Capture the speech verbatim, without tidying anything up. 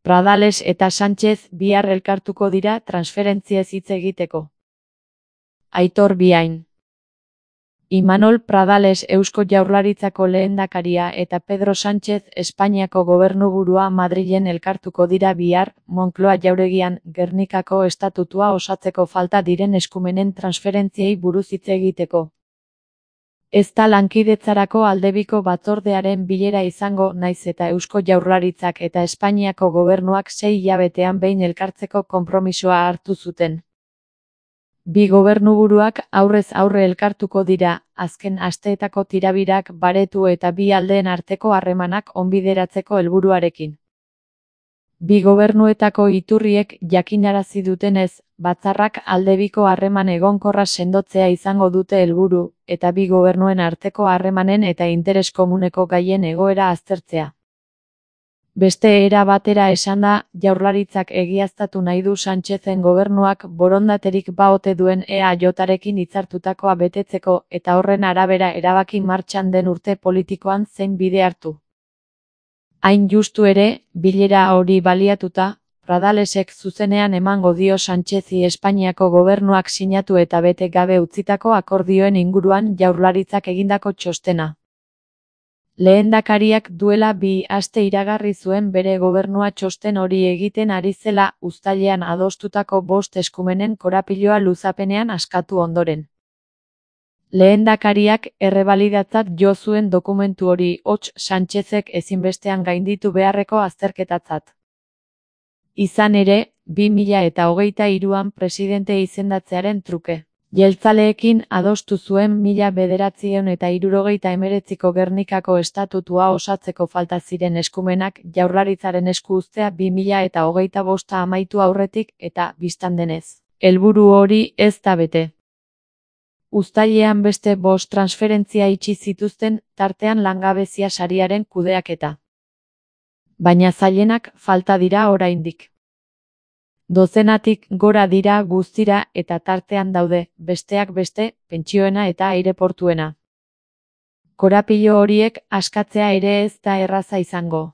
Pradales eta Sánchez bihar elkartuko dira transferentziez hitz egiteko. Aitor Biain. Imanol Pradales Eusko Jaurlaritzako lehendakaria eta Pedro Sánchez Espainiako gobernuburua Madrilen elkartuko dira bihar, Moncloa jauregian, Gernikako estatutua osatzeko falta diren eskumenen transferentziei buruz hitz egiteko. Ez da lankidetzarako aldebiko batzordearen bilera izango, naiz eta Eusko Jaurlaritzak eta Espainiako gobernuak sei hilabetean behin elkartzeko konpromisoa hartu zuten. Bi gobernuburuak aurrez aurre elkartuko dira, azken asteetako tirabirak baretu eta bi aldeen arteko harremanak onbideratzeko helburuarekin. Bi gobernuetako iturriek jakinarazi dutenez, batzarrak aldebiko harreman egonkorra sendotzea izango dute helburu, eta bi gobernuen arteko harremanen eta interes komuneko gaien egoera aztertzea. Beste era batera esanda, Jaurlaritzak egiaztatu nahi du Sánchezen gobernuak borondaterik ba ote duen E A J-arekin hitzartutakoa betetzeko eta horren arabera erabaki martxan den urte politikoan zein bide hartu. Hain justu ere, bilera hori baliatuta, Pradalesek zuzenean emango dio Sánchezi Espainiako gobernuak sinatu eta bete gabe utzitako akordioen inguruan Jaurlaritzak egindako txostena. Lehendakariak duela bi aste iragarri zuen bere gobernua txosten hori egiten ari zela uztailean adostutako bost eskumenen korapiloa luzapenean askatu ondoren. Lehendakariak errebalidatzat jo zuen dokumentu hori hots Sánchezek ezinbestean gainditu beharreko azterketatzat. Izan ere, bi mila eta hogeita hiruan presidente izendatzearen truke. Jeltzaleekin adostu zuen mila bederatziehun eta hirurogeita hemeretziko Gernikako estatutua osatzeko falta ziren eskumenak Jaurlaritzaren esku uztea bi mila eta hogeita bosta amaitu aurretik eta, bistan denez, helburu hori ez da bete. Uztailean beste bost transferentzia itxi zituzten, tartean langabezia sariaren kudeaketa. Baina zailenak falta dira oraindik. Dozenatik gora dira guztira eta tartean daude, besteak beste, pentsioena eta aireportuena. Korapilo horiek askatzea ere ez da erraza izango.